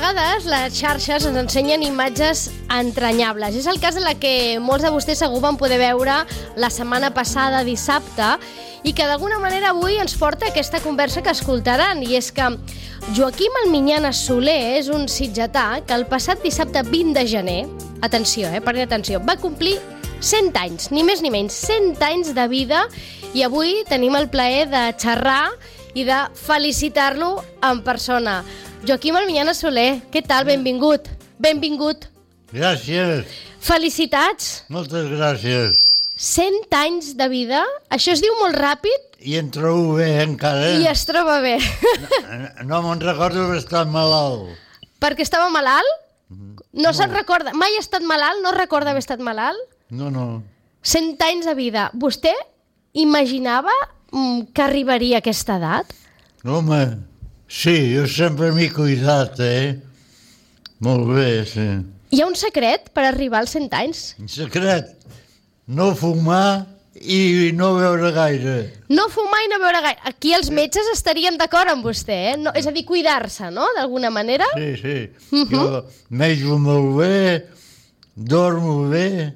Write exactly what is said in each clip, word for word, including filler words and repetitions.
vegades les xarxes ens ensenyen imatges entranyables. És el cas de la que molts de vostès segur van poder veure la setmana passada, dissabte, i que d'alguna manera avui ens porta aquesta conversa que escoltaran, i és que Joaquim Almiñana Soler és un sitgetà que el passat dissabte vint de gener, atenció, eh, prenguin atenció, va complir cent anys, ni més ni menys, cent anys de vida, i avui tenim el plaer de xerrar i de felicitar-lo en persona. Joaquim Almiñana Soler, què tal? Benvingut. Benvingut. Gràcies. Felicitats. Moltes gràcies. cent anys de vida, això es diu molt ràpid. I em trobo bé encara. I es troba bé. No, no me'n recordo d'haver estat malalt. Perquè estava malalt? No, no se'n recorda. Mai ha estat malalt? No recorda haver estat malalt? No, no. cent anys de vida. Vostè imaginava mm, que arribaria a aquesta edat? Home, sí, jo sempre m'he cuidat, eh? Molt bé, sí. Hi ha un secret per arribar als cent anys? En secret, no fumar i no beure gaire. No fumar i no beure gaire. Aquí els metges estarien d'acord amb vostè, eh? No, és a dir, cuidar-se, no?, d'alguna manera. Sí, sí. Uh -huh. Jo menjo molt bé, dormo bé,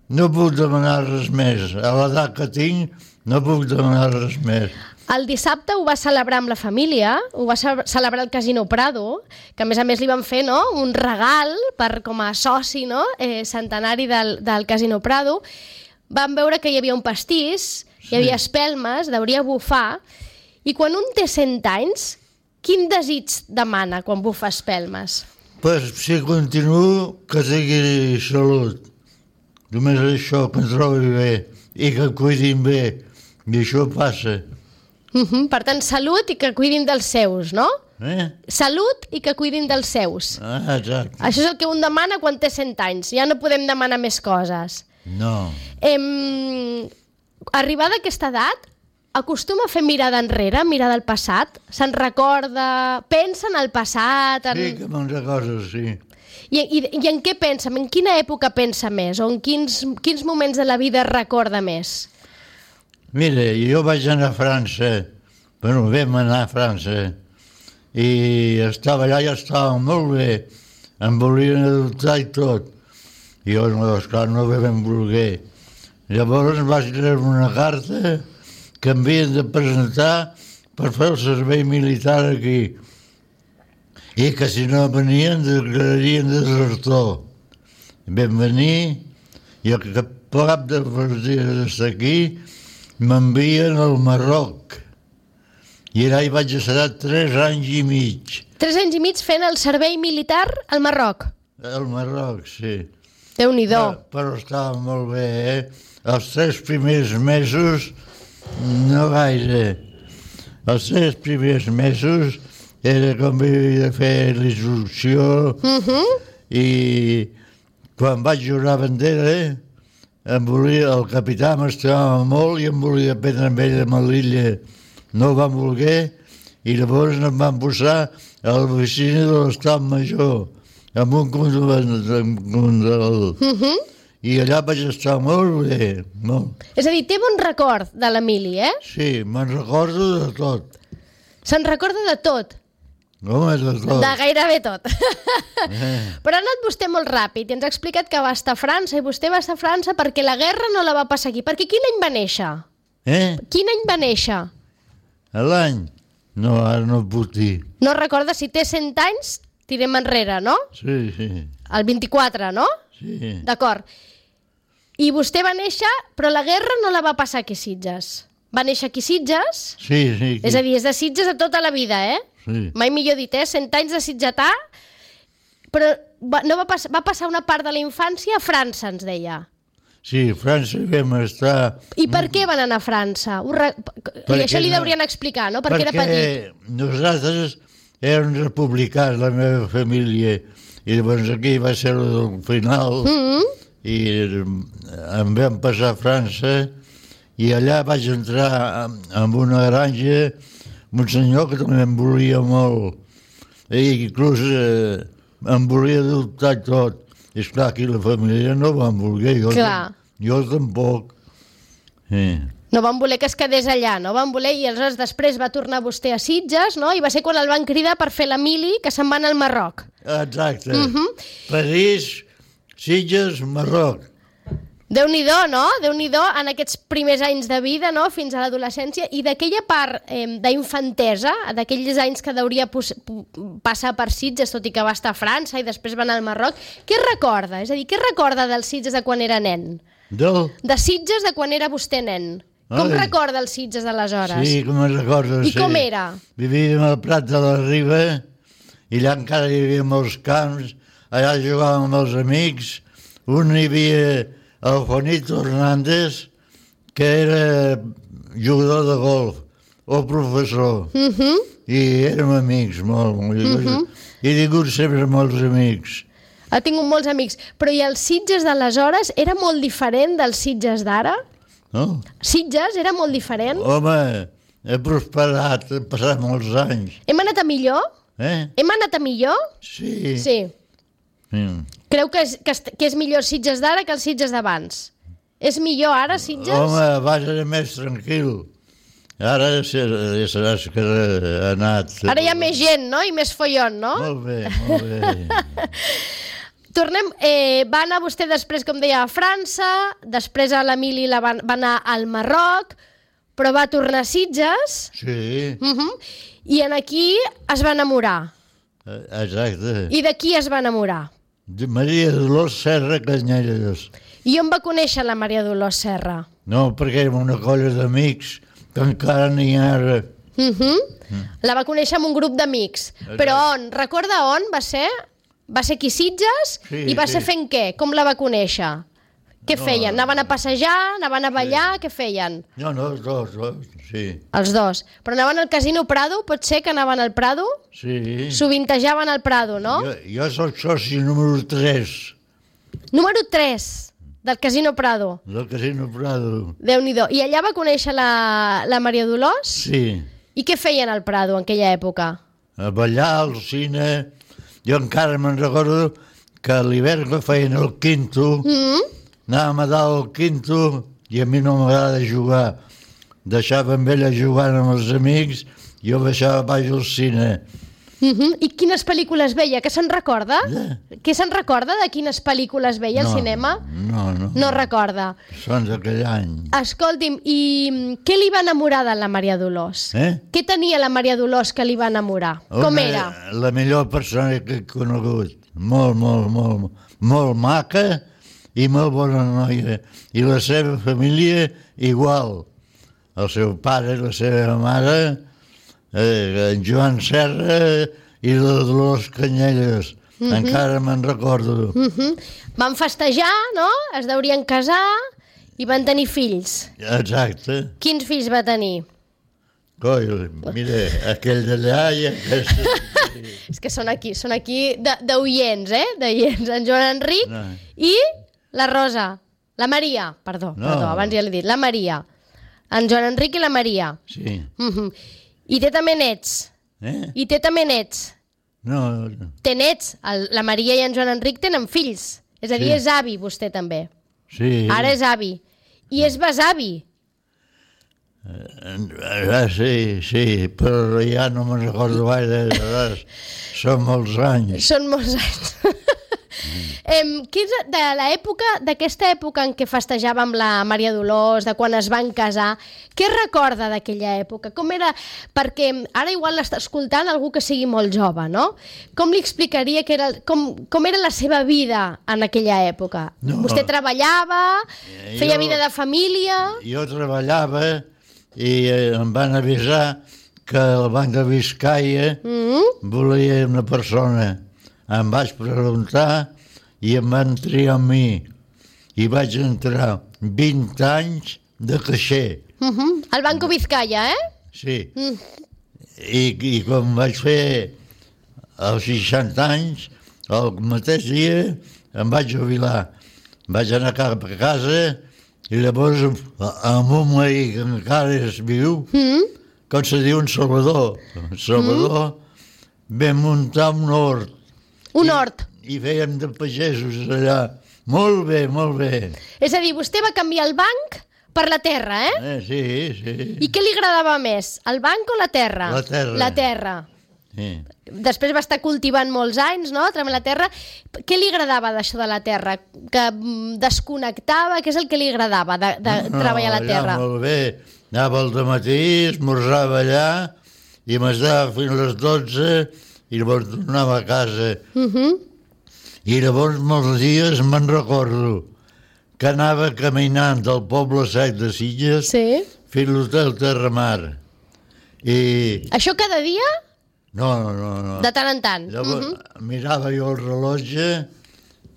no puc demanar res més. A l'edat que tinc no puc demanar res més. El dissabte ho va celebrar amb la família, ho va celebrar al Casino Prado, que a més a més li van fer, no?, un regal per, com a soci, no?, eh, centenari del, del Casino Prado. Van veure que hi havia un pastís, hi havia espelmes, deuria bufar, i quan un té cent anys, quin desig demana quan bufa espelmes? Pues si continuo, que tingui salut. Només això, que em trobi bé i que em cuidin bé. I això passa. Uh -huh. Per tant, salut i que cuidin dels seus, no? Eh? Salut i que cuidin dels seus. Ah, exacte. Això és el que un demana quan té cent anys. Ja no podem demanar més coses. No. Em... Arribada a aquesta edat, acostuma a fer mirada enrere, mirada al passat? Se'n recorda? Pensa en el passat? En... Sí, que me'n recordo, sí. I, i, I en què pensa? En quina època pensa més? O en quins, quins moments de la vida recorda més? Mira, jo vaig anar a França, bueno, vam anar a França, i estava allà i estava molt bé, em volien adoptar i tot. I jo, no, esclar, no ho vam voler. Llavors vaig treure una carta que em havien de presentar per fer el servei militar aquí, i que si no venien declararien desertor. Vam venir, i al cap de dos dies d'estar aquí m'envien al Marroc, i allà hi vaig estar tres anys i mig. Tres anys i mig fent el servei militar al Marroc? Al Marroc, sí. Déu-n'hi-do. Però, però estava molt bé, eh? Els tres primers mesos, no gaire. Els tres primers mesos era com havia de fer l'instrucció, Uh -huh. i quan vaig jurar bandera, em volia, el capità m'estimava molt i em volia prendre amb ell a Melilla. No ho van voler, i llavors em van posar a l'oficina de l'Estat Major, amb un condol. Uh -huh. I allà vaig estar molt bé, molt. És a dir, té bon record de l'Emili, eh? Sí, me'n recordo de tot. Se'n recorda de tot? Home, de tot. De gairebé tot. Eh. Però ha anat vostè molt ràpid i ens ha explicat que va estar a França, i vostè va estar a França perquè la guerra no la va passar aquí. Perquè quin any va néixer? Eh? Quin any va néixer? L'any? No, ara no puc dir. No recorda, si té cent anys, tirem enrere, no? Sí, sí. El vint-i-quatre, no? Sí. D'acord. I vostè va néixer, però la guerra no la va passar aquí a Sitges. Va néixer aquí a Sitges? Sí, sí. És a dir, és de Sitges a tota la vida, eh? Sí. Mai millor dit, eh? Cent anys de sitgetà, però va, no va, pass va passar una part de la infància a França, ens deia. Sí, a França vam estar... I per què van anar a França? Ho re... I això li deurien explicar, no? Perquè, perquè era petit. nosaltres érem republicans, la meva família, i llavors aquí va ser el final, Mm -hmm. i em vam passar a França, i allà vaig entrar en una granja, un senyor que també em volia molt, i inclús eh, em volia adoptar tot. I esclar, aquí la família no van voler, jo, Clar. jo tampoc. Sí. No van voler que es quedés allà, no van voler, i aleshores després va tornar vostè a Sitges, no? I va ser quan el van cridar per fer la mili, que se'n van al Marroc. Exacte. Mhm. París, Sitges, Marroc. Déu-n'hi-do, no? Déu-n'hi-do en aquests primers anys de vida, no? Fins a l'adolescència, i d'aquella part eh, d'infantesa, d'aquells anys que deuria passar per Sitges, tot i que va estar a França i després va anar al Marroc, què recorda? És a dir, què recorda dels Sitges de quan era nen? Del? De Sitges de quan era vostè nen. Com Ai. recorda els Sitges d'aleshores? Sí, com me'n recordo. I sí. com era? Vivíem al Prat de la Riba i allà encara hi havia molts camps, allà jugàvem amb els amics, un hi havia el Juanito Hernández, que era jugador de golf o professor, Uh -huh. i érem amics molt, molt. Uh -huh. He tingut sempre molts amics. Ha tingut molts amics, però i els Sitges d'aleshores era molt diferent dels Sitges d'ara? No? Sitges era molt diferent? Home, he prosperat, he passat molts anys. Hem anat a millor? Eh? Hem anat a millor? Sí. Sí. Sí. Creu que és, que, est- que és millor Sitges d'ara que els Sitges d'abans? És millor ara, Sitges? Home, abans era més tranquil. Ara ja sabràs que ha anat... Ara hi ha més gent, no? I més follon, no? Molt bé, molt bé. Tornem, eh, va anar vostè després, com deia, a França, després a l'Emili la van, va anar al Marroc, però va tornar a Sitges, Sí, uh -huh, i en aquí es va enamorar. exacte. I de qui es va enamorar? De Maria Dolors Serra Canyelles. I on va conèixer la Maria Dolors Serra? No, perquè érem una colla d'amics que encara n'hi ha ara. Uh -huh. mm. La va conèixer amb un grup d'amics. Però on? Recorda on va ser? Va ser aquí a Sitges? Sí, I va sí. ser fent què? Com la va conèixer? Què No. feien? Anaven a passejar? Anaven a ballar? Què feien? No, no, els dos, dos, sí. Els dos. Però anaven al Casino Prado? Pot ser que anaven al Prado? Sí. Sovintejaven al Prado, no? Jo, jo soc soci número tres Número tres del Casino Prado. del Casino Prado. Déu-n'hi-do. I allà va conèixer la, la Maria Dolors? Sí. I què feien al Prado en aquella època? A ballar, al cine... Jo encara me'n recordo que a l'hivern que feien el quinto, Mm? anàvem a dalt al quinto i a mi no m'agrada jugar. Deixava amb ella jugant amb els amics, jo baixava baix al cine. Uh -huh. I quines pel·lícules veia? Què se'n recorda? Eh? Què se'n recorda de quines pel·lícules veia al No, cinema? No, no. No recorda. Són d'aquell any. Escolti'm, i mm, què li va enamorar de la Maria Dolors? Eh? Què tenia la Maria Dolors que li va enamorar? Com Una- era? La millor persona que he conegut. Molt, molt, molt, molt maca i molt bona noia. I la seva família igual. El seu pare, la seva mare, eh, en Joan Serra i la Dolors Canyelles. Mm -hmm. Encara me'n recordo. Uh -huh. Van festejar, no? Es deurien casar i van tenir fills. Exacte. Quins fills va tenir? Coi, mira, aquell d'allà i aquest... És que són aquí, són aquí de- d'oients, eh? D'oients. En Joan Enric No. i la Rosa. La Maria, perdó, No. perdó, abans ja l'he dit. La Maria. En Joan Enric i la Maria. Sí. Uh -huh. I té també nets. Eh? I té també nets. No, Té nets. El, la Maria i en Joan Enric tenen fills. És a dir, Sí. és avi, vostè també. sí. Ara és avi. I és besavi. Ah, sí, sí, però ja no me'n recordo gaire, aleshores són molts anys. Són molts anys. em, què és de l'època, d'aquesta època en què festejava amb la Maria Dolors, de quan es van casar, què recorda d'aquella època? Com era? Perquè ara igual l'està escoltant algú que sigui molt jove, no? Com li explicaria que era, com, com era la seva vida en aquella època? No. Vostè treballava, Eh, feia jo- vida de família... Jo treballava i eh, em van avisar que el Banc de Biscaia Mm? volia una persona. Em vaig preguntar i em van triar a mi. I vaig entrar vint anys de caixer. Uh -huh. El Banco Vizcaya, eh? Sí. Mm. I, i com vaig fer els seixanta anys, el mateix dia em vaig jubilar. Vaig anar cap a casa i llavors amb un veí que encara és viu, Mm? com se diu en Salvador, Salvador, mm. vam muntar un hort Un hort. i fèiem de pagesos allà. Molt bé, molt bé. És a dir, vostè va canviar el banc Per la terra, eh? eh? Sí, sí. I què li agradava més, el banc o la terra? La terra. La terra. Sí. Després va estar cultivant molts anys, no?, treballant la terra. Què li agradava d'això de la terra? Que desconnectava? Què és el que li agradava de, de no, treballar la terra? No, molt bé. Anava al dematí, esmorzava allà i m'estava fins a les dotze i llavors tornava a casa. Uh -huh. I llavors molts dies me'n recordo que anava caminant del poble sec de Sitges sí. fins a l'hotel Terramar. I... Això cada dia? No, no, no. no. De tant en tant. Llavors, uh -huh. mirava jo el rellotge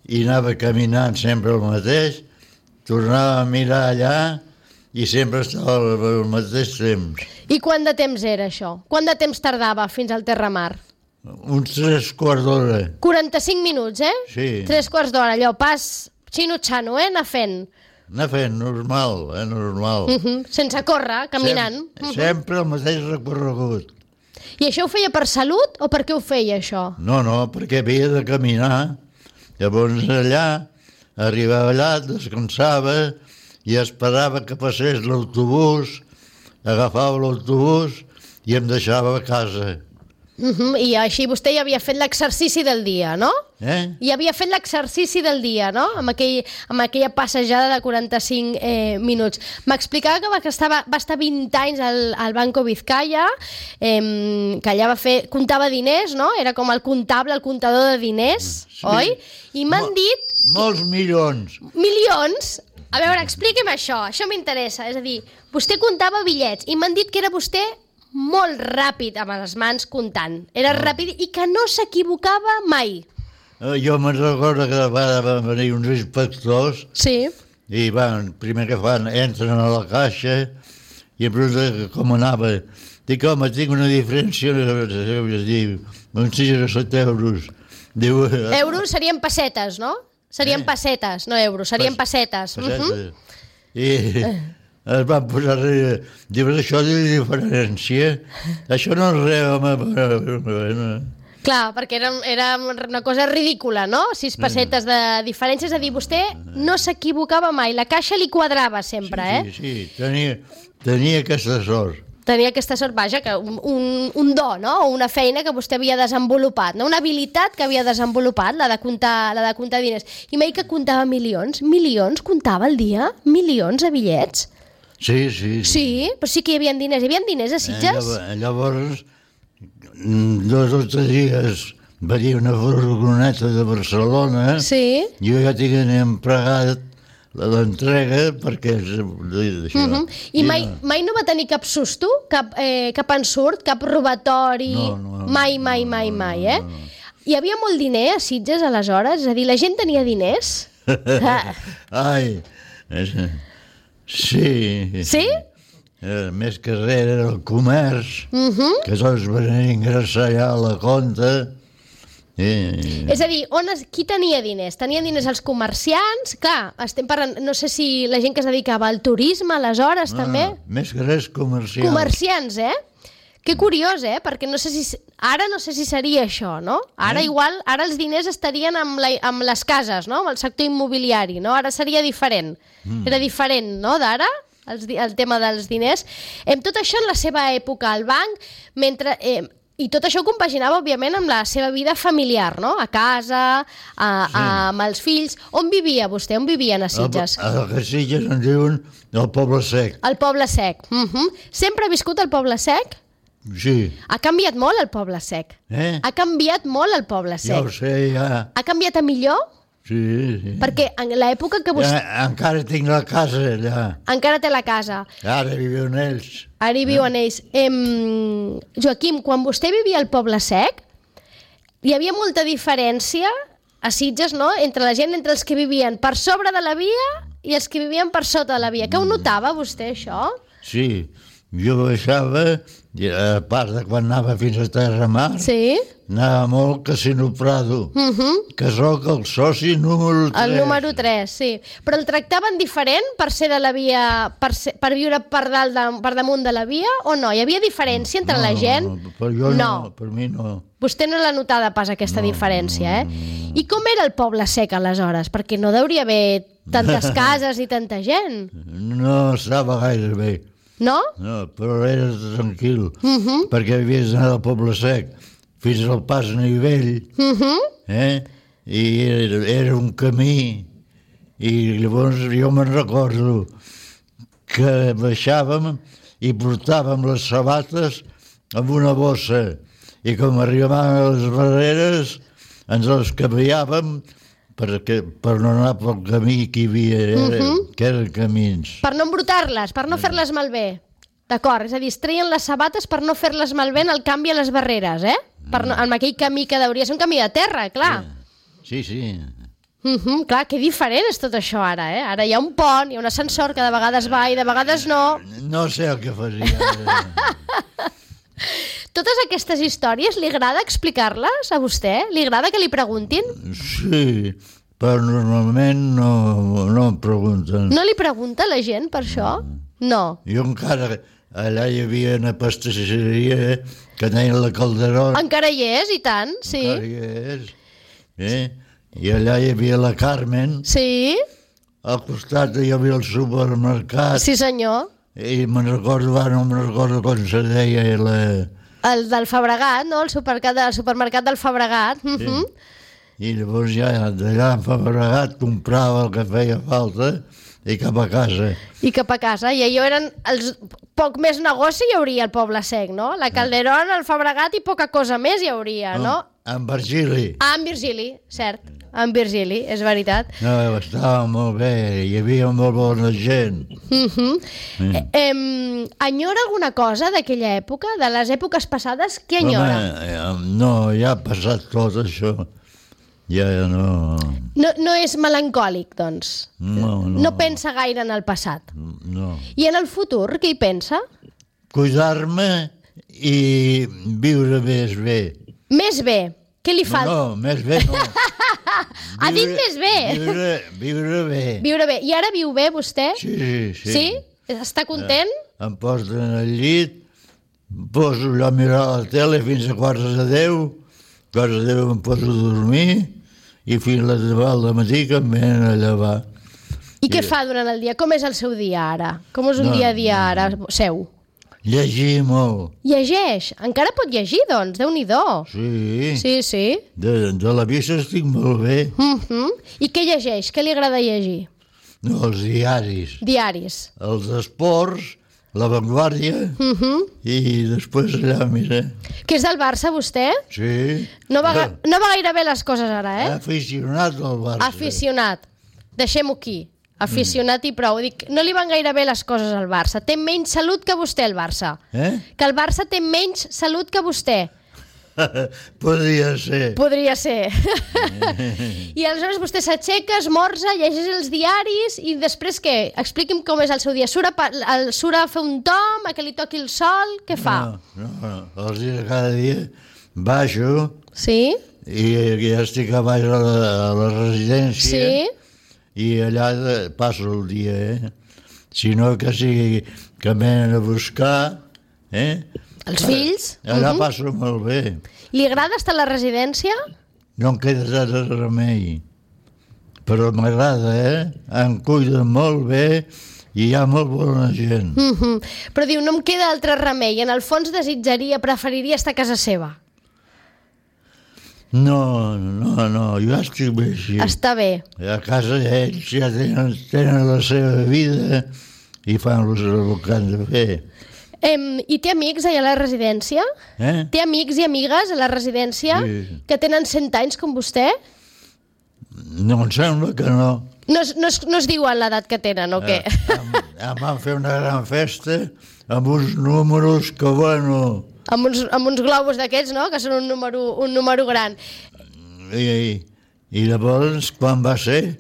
i anava caminant sempre el mateix, tornava a mirar allà i sempre estava al mateix temps. I quant de temps era això? Quant de temps tardava fins al Terramar? Uns tres quarts d'hora. quaranta-cinc minuts, eh? Sí. Tres quarts d'hora, allò, pas xino-xano, eh? Anar fent. Anar fent, normal, eh, normal. Uh -huh. Sense córrer, caminant. Sempre, uh -huh. sempre el mateix recorregut. I això ho feia per salut o per què ho feia, això? No, no, perquè havia de caminar. Llavors allà, arribava allà, descansava i esperava que passés l'autobús, agafava l'autobús i em deixava a casa. Uh -huh. I així vostè ja havia fet l'exercici del dia, no? Eh? I havia fet l'exercici del dia, no? Amb, aquell, amb aquella passejada de quaranta-cinc eh, minuts. M'explicava que va, que estava, va estar vint anys al, al Banco Vizcaya, eh, que allà va fer, comptava diners, no? Era com el comptable, el comptador de diners, sí. Oi? I m'han Mol, dit... Molts milions. Milions? A veure, expliqui'm això, això m'interessa. És a dir, vostè comptava bitllets i m'han dit que era vostè molt ràpid amb les mans comptant. Era no. ràpid i que no s'equivocava mai. Jo me'n recordo que van venir uns inspectors sí. i van, primer que fan, entren a la caixa i em pregunten com anava. Dic, home, tinc una diferència, diu, uns sis o set euros. Diu, euros serien pessetes, no? Serien eh? pessetes, no euros, serien Pas, pessetes. pessetes. Uh -huh. I es van posar a riure. Dius, això de diferència? Això no és res, home. Clar, perquè era, era una cosa ridícula, no? Sis pessetes de diferència, és a dir, vostè no s'equivocava mai, la caixa li quadrava sempre, sí, eh? Sí, sí, tenia, tenia aquesta sort. Tenia aquesta sort, vaja, que un, un, un do, no? O una feina que vostè havia desenvolupat, no? Una habilitat que havia desenvolupat, la de comptar, la de comptar diners. I m'ha dit que comptava milions. Milions comptava al dia? Milions de bitllets? Sí, sí. Sí, sí però sí que hi havia diners. Hi havia diners a Sitges? Eh, llavors, dos o tres dies venia una furgoneta de Barcelona. Sí. Jo ja tenia empregat l'entrega perquè és d'això. Uh -huh. I mai, mai no va tenir cap susto? Cap, eh, cap ensurt? Cap robatori? No, no. Mai, mai, mai, no, mai, eh? No, no. Hi havia molt diner a Sitges aleshores? És a dir, la gent tenia diners? ah. Ai, sí. Sí? Eh, més que res era el comerç, uh -huh. que tots venien a ingressar allà a la compta. Eh, és a dir, on es, qui tenia diners? Tenien diners els comerciants? Clar, estem parlant, no sé si la gent que es dedicava al turisme aleshores ah, també. Més que res comerciants. Comerciants, eh? Que curiós, eh? Perquè no sé si... Ara no sé si seria això, no? Ara eh? igual, ara els diners estarien amb, la, amb les cases, no? Amb el sector immobiliari, no? Ara seria diferent. Mm. Era diferent, no, d'ara? El, el tema dels diners. Em, tot això en la seva època al banc, mentre... Eh, I tot això ho compaginava, òbviament, amb la seva vida familiar, no? A casa, a, sí. a, amb els fills. On vivia vostè? On vivien a Sitges? A, a Sitges en diuen el Poble Sec. El Poble Sec. Uh -huh. Sempre ha viscut al Poble Sec? Sí. Ha canviat molt el Poble Sec. Eh? Ha canviat molt el Poble Sec. Ja ho sé, ja. Ha canviat a millor? Sí, sí. Perquè en l'època que vostè... Ja, encara tinc la casa allà. Encara té la casa. Ara viuen ells. Ara hi viuen eh? ells. Em... Joaquim, quan vostè vivia al Poble Sec, hi havia molta diferència a Sitges, no?, entre la gent, entre els que vivien per sobre de la via i els que vivien per sota de la via. Que ho notava vostè, això? Sí, jo baixava, i a part de quan anava fins a Terra Mar, Sí? anava molt a Casino Prado, Uh -huh. que sóc el soci número tres. El número tres, sí. Però el tractaven diferent per ser de la via, per, ser, per viure per, dalt de, per damunt de la via, o no? Hi havia diferència entre no, la gent? No, per jo no. no, per mi no. Vostè no l'ha notada pas, aquesta no, diferència, eh? I com era el Poble Sec, aleshores? Perquè no deuria haver tantes cases i tanta gent, No estava gaire bé, no? no, però era tranquil, Uh -huh. perquè havies d'anar al Poble Sec fins al Pas Nivell, Uh -huh. eh? I era, era un camí, i llavors jo me'n recordo que baixàvem i portàvem les sabates amb una bossa, i com arribàvem a les barreres ens les canviàvem perquè, per no anar pel camí que hi havia, era, uh -huh. que eren camins. Per no embrutar-les, per no fer-les malbé. D'acord, és a dir, es treien les sabates per no fer-les malbé en el canvi a les barreres, eh? Per no, en aquell camí que hauria de ser un camí de terra, clar. Sí, sí. Uh -huh, clar, que diferent és tot això ara, eh? Ara hi ha un pont, hi ha un ascensor que de vegades va i de vegades no. No sé el que faria. Totes aquestes històries li agrada explicar-les a vostè? Li agrada que li preguntin? Sí, però normalment no, no em pregunten. No li pregunta la gent per això? No. Jo encara, allà hi havia una pastisseria que deien la Calderón. Encara hi és, i tant, sí. Encara hi és. Eh? I allà hi havia la Carmen. Sí, Al costat hi havia el supermercat. sí senyor. I me'n recordo, ara no me'n recordo com se deia la... El del Fabregat, no? El supermercat, el supermercat del Fabregat. Uh -huh. I llavors ja d'allà en Fabregat comprava el que feia falta i cap a casa. I cap a casa. I allò eren els... poc més negoci hi hauria al Poble Sec, no? La Calderón, el Fabregat i poca cosa més hi hauria, no? En Virgili. Ah, en Virgili, cert. En Virgili, és veritat. No, estava molt bé, hi havia molt bona gent. Uh -huh. mm. eh, enyora alguna cosa d'aquella època, de les èpoques passades? Què enyora? Home, no, ja ha passat tot això. Ja no... No, no és melancòlic, doncs? No, no. No pensa gaire en el passat? No. I en el futur, què hi pensa? Cuidar-me i viure més bé. Més bé. Què li No, falta? no, més bé no. Ha dit més bé. Viure, viure bé. Viure bé. I ara viu bé, vostè? Sí, sí, sí. Sí? Està content? Em posen al llit, em poso allò a mirar la tele fins a quarts de deu, quarts de deu em poso a dormir i fins a les deu del matí que em venen a llevar. I què fa durant el dia? Com és el seu dia ara? Com és un No, dia a dia ara seu? Llegir molt. Llegeix. Encara pot llegir, doncs. Déu-n'hi-do. Sí. Sí, sí. De, de la vista estic molt bé. Uh -huh. I què llegeix? Què li agrada llegir? No, els diaris. Diaris. Els esports, La Vanguardia, Uh -huh. i després allà, mira. Que és del Barça, vostè? Sí. No va, ga- no va gaire bé les coses ara, eh? Aficionat al Barça. Aficionat. Deixem-ho aquí. Aficionat i prou. Dic, no li van gaire bé les coses al Barça. Té menys salut que vostè, el Barça. Eh? Que el Barça té menys salut que vostè. Podria ser. Podria ser. I aleshores vostè s'aixeca, esmorza, llegeix els diaris i després què? Expliqui'm com és el seu dia. Surt a, pa- el, surt a fer un tom, a que li toqui el sol? Què fa? No, no, no. Els dies cada dia baixo Sí? i ja estic a baix a la, a la residència. Sí? I allà de- passo el dia, eh? Si no que sigui que em venen a buscar, eh? Els fills? Allà Mhm. passo molt bé. Li agrada estar a la residència? No em queda res remei. Però m'agrada, eh? Em cuiden molt bé i hi ha molt bona gent. Mhm. Però diu, no em queda altre remei. En el fons desitjaria, preferiria estar a casa seva. No, no, no, jo estic bé així. Està bé. A casa ells ja tenen, tenen la seva vida i fan el que han de fer. Em, I té amics allà a la residència? Eh? Té amics i amigues a la residència Sí. que tenen cent anys com vostè? No em sembla que no. No es, no es, no es diuen l'edat que tenen, o què? Eh, em, em van fer una gran festa amb uns números que, bueno... amb, uns, amb uns globus d'aquests, no?, que són un número, un número gran. I, I llavors, quan va ser,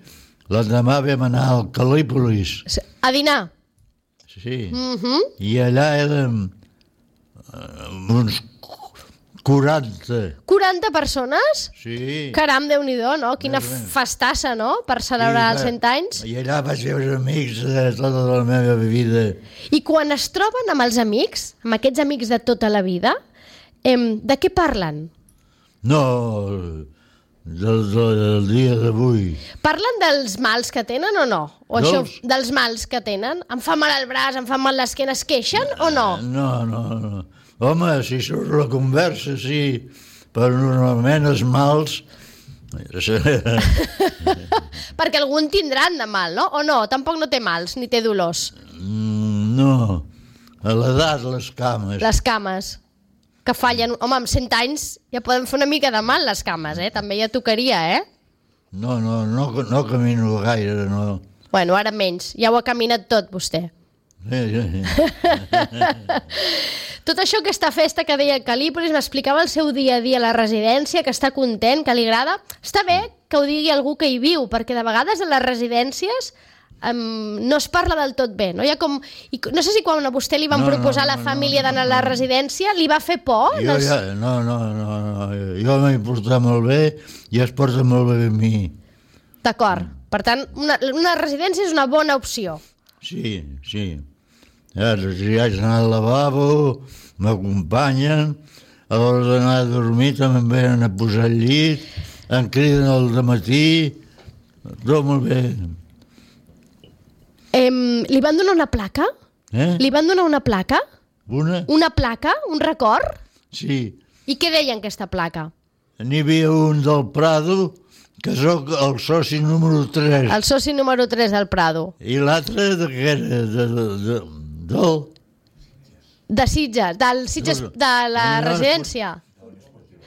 l'endemà vam anar al Calípolis. A dinar? sí. Mhm. I allà érem eh, uns quaranta. quaranta persones? Sí. Caram, Déu-n'hi-do, no? Quina Més o menys. festassa, no?, per celebrar els cent anys. I allà vaig veure amics de tota la meva vida. I quan es troben amb els amics, amb aquests amics de tota la vida, em, de què parlen? No, del, del dia d'avui. Parlen dels mals que tenen o no? O Dels? això, dels mals que tenen? Em fa mal el braç, em fa mal l'esquena, es queixen o no? No, no, no. Home, si surt la conversa, sí, però normalment els mals... Perquè algun tindran de mal, no? O no? Tampoc no té mals, ni té dolors. Mm, no, a l'edat les cames. Les cames, que fallen... Home, amb cent anys ja poden fer una mica de mal, les cames, eh? També ja tocaria, eh? No, no, no, no camino gaire, no. Bueno, ara menys. Ja ho ha caminat tot, vostè. Sí, sí, sí. Tot això, aquesta festa que deia Cal·lípolis, m'explicava el seu dia a dia a la residència, que està content, que li agrada. Està bé que ho digui algú que hi viu, perquè de vegades a les residències um, no es parla del tot bé. No, hi ha com... I no sé si quan a vostè li van No, proposar no, a la no, família no, d'anar a no, la no. residència, li va fer por? Jo Els- ja, no, no, no, no, jo m'he portat molt bé i es porta molt bé amb mi. D'acord. Per tant, una, una residència és una bona opció. Sí, sí. Ara, si haig d'anar al lavabo, m'acompanyen, a l'hora d'anar a dormir també em venen a posar al llit, em criden al dematí, tot molt bé. Em, li van donar una placa? Eh? Li van donar una placa? Una? Una placa? Un record? Sí. I què deia en aquesta placa? N'hi havia un del Prado, que sóc el soci número tres. El soci número tres del Prado. I l'altre de què era? De, de, de, del... De Sitges, del Sitges, No, no. de la No, no, residència.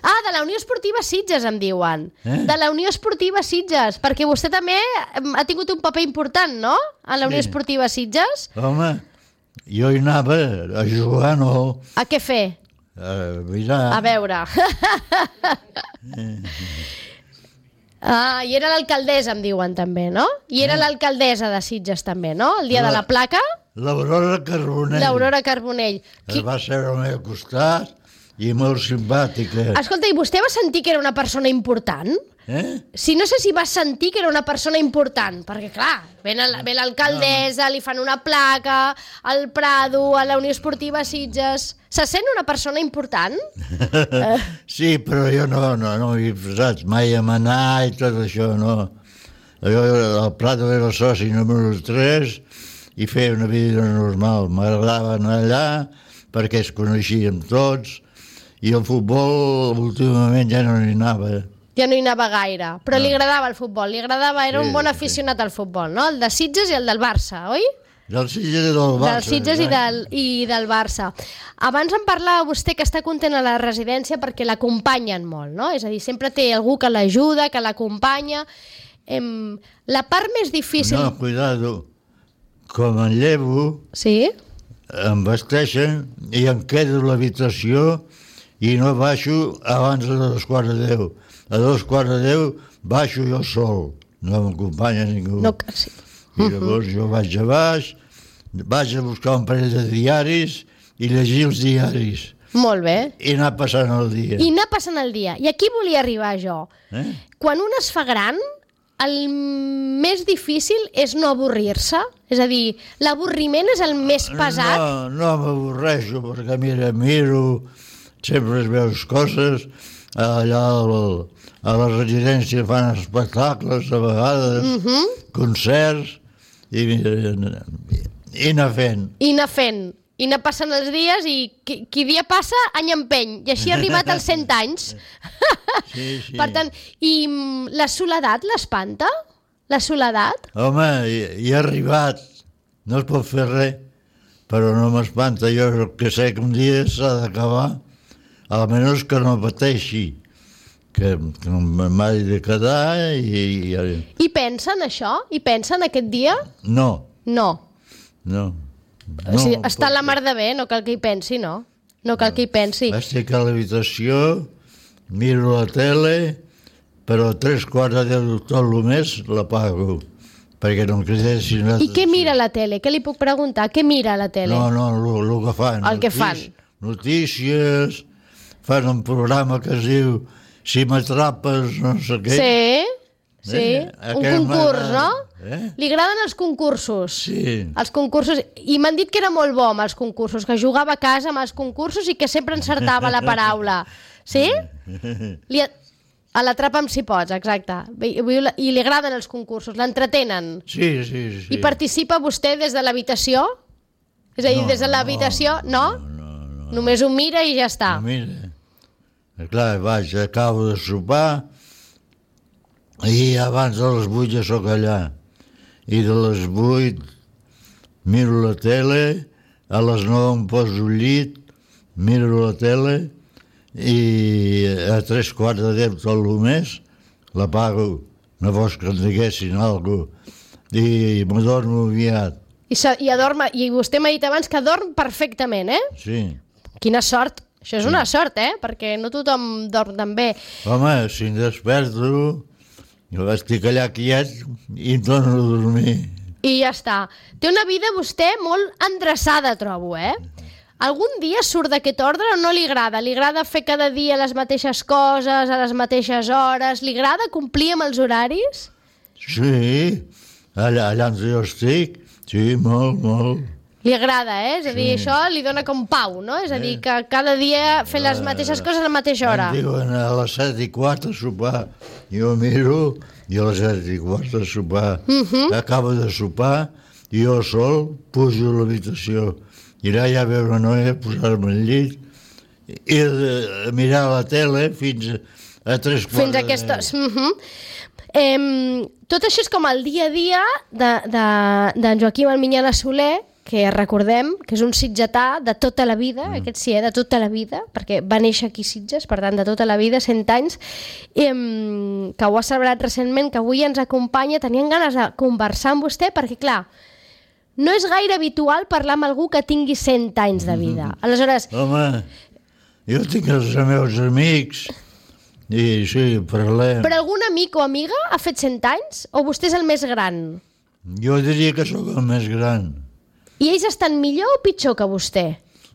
Ah, de la Unió Esportiva Sitges, em diuen. Eh? De la Unió Esportiva Sitges, perquè vostè també em, ha tingut un paper important, no?, a la Unió Sí. Esportiva Sitges. Home, jo hi anava a jugar, no, A què fer? a mirar. A veure. Ah, i era l'alcaldessa, em diuen també, no? I era l'alcaldessa de Sitges també, no? El dia de la placa, L'Aurora Carbonell. l'Aurora Carbonell. Es va seure al meu costat i molt simpàtica. Escolta, i vostè va sentir que era una persona important? Eh? Si no sé si va sentir que era una persona important, perquè clar, ve la- ve l'alcaldessa, li fan una placa, al Prado, a la Unió Esportiva Sitges... Se sent una persona important? Sí, però jo no, no, no m'hi he posat mai a manar i tot això, no. Jo, el Prado era el soci número tres i feia una vida normal. M'agradava anar allà perquè es coneixíem tots i el futbol últimament ja no hi anava. Ja no hi anava gaire, però li agradava el futbol, li agradava, era Sí, un bon sí. aficionat al futbol, no? El de Sitges i el del Barça, oi? Del Sitges i del Barça. Del Sitges i exacte. del, i del Barça. Abans em parlava vostè que està content a la residència perquè l'acompanyen molt, no? És a dir, sempre té algú que l'ajuda, que l'acompanya. Em, la part més difícil... No, cuidado. Com en llevo, Sí? em vesteixen i em quedo a l'habitació i no baixo abans de dos quarts de deu. A dos quarts de deu baixo jo sol, no m'acompanya ningú. No, sí. I llavors jo vaig a baix, vaig a buscar un parell de diaris i llegir els diaris Molt bé. i anar passant el dia. I anar passant el dia. I aquí volia arribar jo. Eh? Quan un es fa gran, el més difícil és no avorrir-se. És a dir, l'avorriment és el més pesat. No, no m'avorreixo, perquè mira, miro, sempre es veus coses, allà al, a la residència fan espectacles a vegades, Uh -huh. concerts, i, i anar fent. I anar fent. I anar passant els dies i qui, qui dia passa, any empeny. I així ha arribat als cent anys. Sí, sí. Per tant, i mm, la soledat l'espanta? La soledat? Home, hi, hi ha arribat, no es pot fer res, però no m'espanta. Jo el que sé que un dia s'ha d'acabar, almenys que no pateixi, que, que m'hagi de quedar i, i... I pensen això? I pensen aquest dia? No, No. no. O sigui, està a la mar de bé, no cal que hi pensi, no? No cal que hi pensi. Estic a l'habitació, miro la tele, però a tres quarts de deu tot el més l'apago. perquè no em cridessin l'atenció. I què mira la tele? Què li puc preguntar? Què mira la tele? No, no, el que fan. El que fan. Notícies, fan un programa que es diu Si m'atrapes, no sé què. Sí, sí, Eh? un Aquest concurs, m'agrada. no? Eh? Li agraden els concursos. Sí. Els concursos, i m'han dit que era molt bo amb els concursos, que jugava a casa amb els concursos i que sempre encertava la paraula. Sí? Li a... A l'Atrapa'm si pots, exacte. I i li agraden els concursos, l'entretenen. Sí, sí, sí. I participa vostè des de l'habitació? És a dir, No, des de l'habitació, no? No, no, no. Només ho mira i ja està. No, mira, clar, vaig, acabo de sopar i abans de les vuit ja sóc allà. I de les vuit miro la tele, a les nou em poso al llit, miro la tele i a tres quarts de deu tot el mes l'apago. No vols que em diguessin alguna cosa. I m'adormo aviat. I, se, i, adorma, I vostè m'ha dit abans que dorm perfectament, eh? Sí. Quina sort. Això és una sort, eh? Perquè no tothom dorm tan bé. Home, si em desperto, jo estic allà quiet i em torno a dormir. I ja està. Té una vida vostè molt endreçada, trobo, eh? Algun dia surt d'aquest ordre o no li agrada? Li agrada fer cada dia les mateixes coses, a les mateixes hores? Li agrada complir amb els horaris? Sí, allà, allà on jo estic, sí, molt, molt. Li agrada, eh? És a dir, això li dona com pau, no? És a dir, que cada dia fer les mateixes coses a la mateixa hora. Em diuen a les set i quart a sopar. Jo miro i a les set i quart a sopar. Mhm. Acabo de sopar i jo sol pujo a l'habitació. I allà ja veure una noia, posar-me al llit i de mirar la tele fins a tres quarts Fins a aquesta... de... Mm -hmm. eh, tot això és com el dia a dia de, de, de Joaquim Alminyana Soler, que recordem que és un sitgetà de tota la vida, mm. aquest sí, eh, de tota la vida, perquè va néixer aquí a Sitges, per tant, de tota la vida, cent anys, eh, que ho ha celebrat recentment, que avui ens acompanya. Tenien ganes de conversar amb vostè, perquè, clar, no és gaire habitual parlar amb algú que tingui cent anys de vida. Aleshores... Home, jo tinc els meus amics i sí, parlem. Però algun amic o amiga ha fet cent anys? O vostè és el més gran? Jo diria que sóc el més gran. I ells estan millor o pitjor que vostè?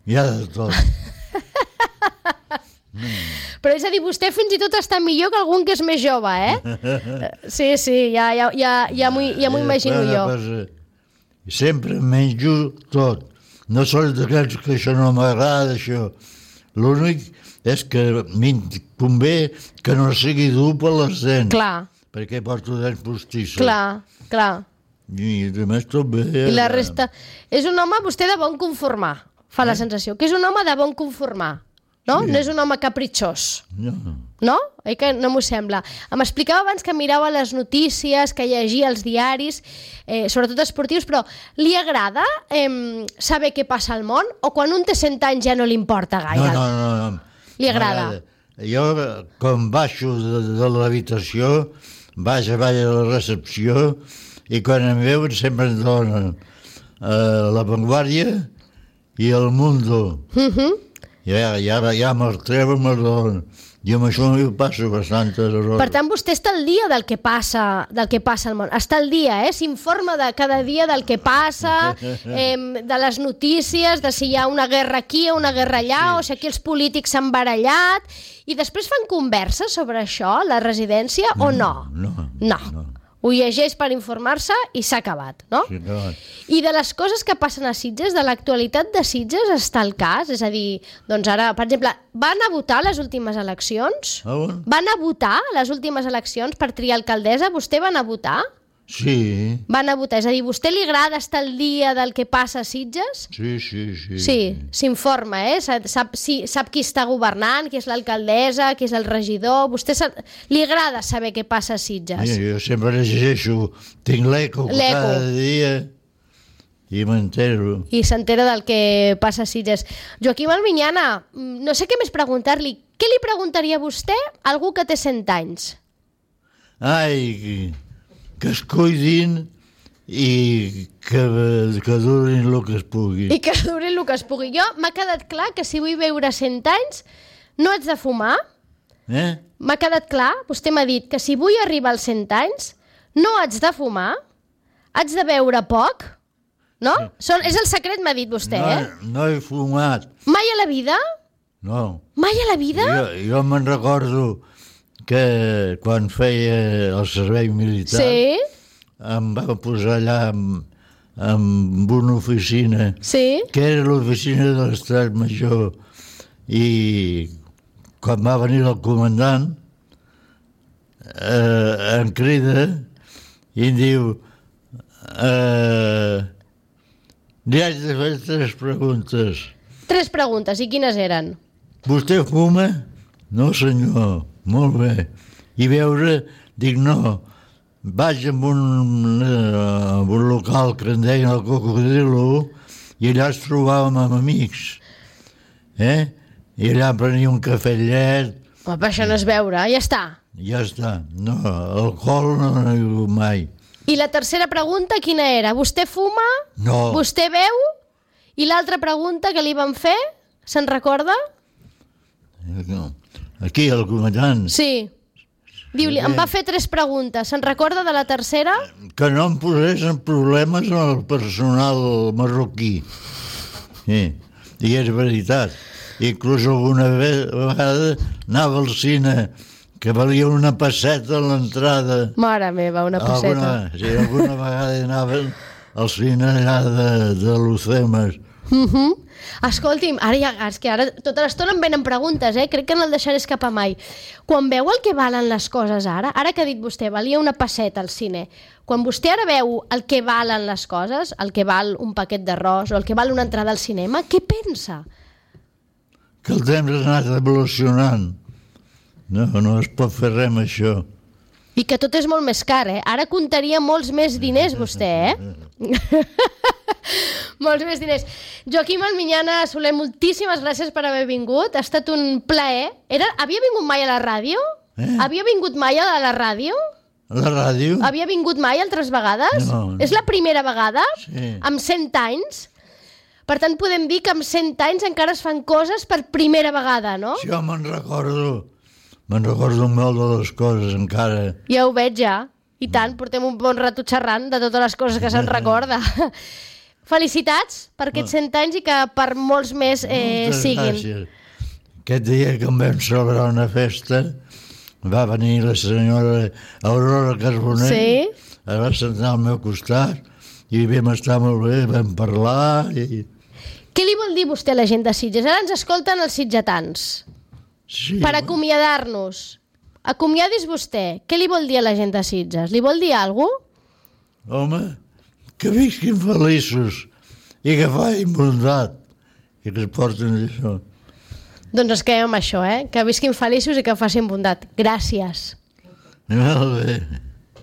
Hi ha de tot. Però és a dir, vostè fins i tot està millor que algun que és més jove, eh? Sí, sí, ja, ja, ja, ja m'ho ja imagino jo. Cosa, sempre menjo tot. No sols d'aquells que això no m'agrada, això. L'únic és que m'hi convé que no sigui dur per les dents. Clar. Perquè porto dents postissos. Clar, clar. I a més tot bé. I la resta... És un home, vostè, de bon conformar. Fa la sensació que és un home de bon conformar. No? Sí. No és un home capritxós. No. No? Oi que no m'ho sembla? Em explicava abans que mirava les notícies, que llegia els diaris, eh, sobretot esportius, però li agrada eh, saber què passa al món? O quan un té cent anys ja no li importa gaire? No, no, no. no. Li agrada? Jo, quan baixo de, de l'habitació, vaig a baix a la recepció i quan em veuen sempre em donen eh, La Vanguardia i El Mundo. Uh -huh. I ara, i ara ja me'l treuen, me'l donen. I amb això m'hi passo bastantes hores. Per tant, vostè està al dia del que passa, del que passa al món. Està al dia, eh? S'informa de cada dia del que passa, eh, de les notícies, de si hi ha una guerra aquí o una guerra allà, sí. O si aquí els polítics s'han barallat, i després fan converses sobre això, la residència, o no? No. No. no. Ho llegeix per informar-se i s'ha acabat, no? Sí, acabat. I de les coses que passen a Sitges, de l'actualitat de Sitges, està el cas? És a dir, doncs ara, per exemple, van a votar a les últimes eleccions? Ah, bueno. Van a votar a les últimes eleccions per triar alcaldessa? Vostè van a votar? Sí. Van a votar. És a dir, vostè li agrada estar al dia del que passa a Sitges? Sí, sí, sí. Sí, s'informa, eh? Sap, sap, sí, sap qui està governant, qui és l'alcaldessa, qui és el regidor... Vostè sap, li agrada saber què passa a Sitges? Sí, jo sempre llegeixo, tinc l'eco cada dia i m'entero. I s'entera del que passa a Sitges. Joaquim Alminyana, no sé què més preguntar-li. Què li preguntaria a vostè a algú que té cent anys? Ai, que es cuidin i que, que durin el que es pugui. I que durin el que es pugui. Jo m'ha quedat clar que si vull viure cent anys no haig de fumar. Eh? M'ha quedat clar, vostè m'ha dit que si vull arribar als cent anys no haig de fumar, Haig de beure poc, no? Són, és el secret, m'ha dit vostè, no, eh? No he fumat. Mai a la vida? No. Mai a la vida? Jo, jo me'n recordo que quan feia el servei militar Sí, em va posar allà amb, amb una oficina sí. que era l'oficina de l'Estat Major, i quan va venir el comandant eh, em crida i em diu eh, li haig de fer tres preguntes. Tres preguntes, i quines eren? Vostè fuma? No, senyor. Molt bé. I beure? Dic, no. Vaig a un, uh, un local que en deien el Cocodrilo i allà es trobàvem amb amics. Eh? I allà prenia un cafè llet. Home, però això no és beure, ja està. Ja està. No, alcohol no n'he begut mai. I la tercera pregunta quina era? Vostè fuma? No. Vostè beu? I l'altra pregunta que li van fer? Se'n recorda? Aquí, el comandant. Sí. Diu-li, em va fer tres preguntes. Se'n recorda de la tercera? Que no em posés en problemes amb el personal marroquí. Sí. I és veritat. Inclús alguna vegada anava al cine, que valia una pesseta a l'entrada. Mare meva, una pesseta. Alguna, sí, alguna vegada anaven al cine allà de, de Lucemes. Uh -huh. Escolti'm, ara ja, és que ara tota l'estona em venen preguntes, eh? Crec que no el deixaré escapar mai. Quan veu el que valen les coses ara, ara que ha dit vostè, valia una pesseta al cine, quan vostè ara veu el que valen les coses, el que val un paquet d'arròs o el que val una entrada al cinema, què pensa? Que el temps ha anat evolucionant. No, no es pot fer res amb això. I que tot és molt més car, eh? Ara comptaria molts més diners, vostè, eh? Molts més diners. Joaquim Almiñana Soler, moltíssimes gràcies per haver vingut. Ha estat un plaer. Era... Havia vingut mai a la ràdio? Eh? Havia vingut mai a la ràdio? A la ràdio? Havia vingut mai altres vegades? No, no. És la primera vegada? Sí. Amb cent anys? Per tant, podem dir que amb cent anys encara es fan coses per primera vegada, no? Sí, jo me'n recordo. Me'n recordo molt de les coses encara. Ja ho veig, ja. I tant, portem un bon rato xerrant de totes les coses que se'n recorda. Felicitats per aquests cent anys i que per molts més eh, Moltes siguin. gràcies. Aquest dia que em vam celebrar una festa va venir la senyora Aurora Carbonell, Sí. es va sentar al meu costat i vam estar molt bé, vam parlar i... Què li vol dir vostè a la gent de Sitges? Ara ens escolten els sitgetans. Sí, Per acomiadar-nos, acomiadis vostè. Què li vol dir a la gent de Sitges? Li vol dir alguna cosa? home, que visquin feliços i que facin bondat i que es portin això. Doncs es quedem amb això, eh? Que visquin feliços i que facin bondat. Gràcies. Molt bé.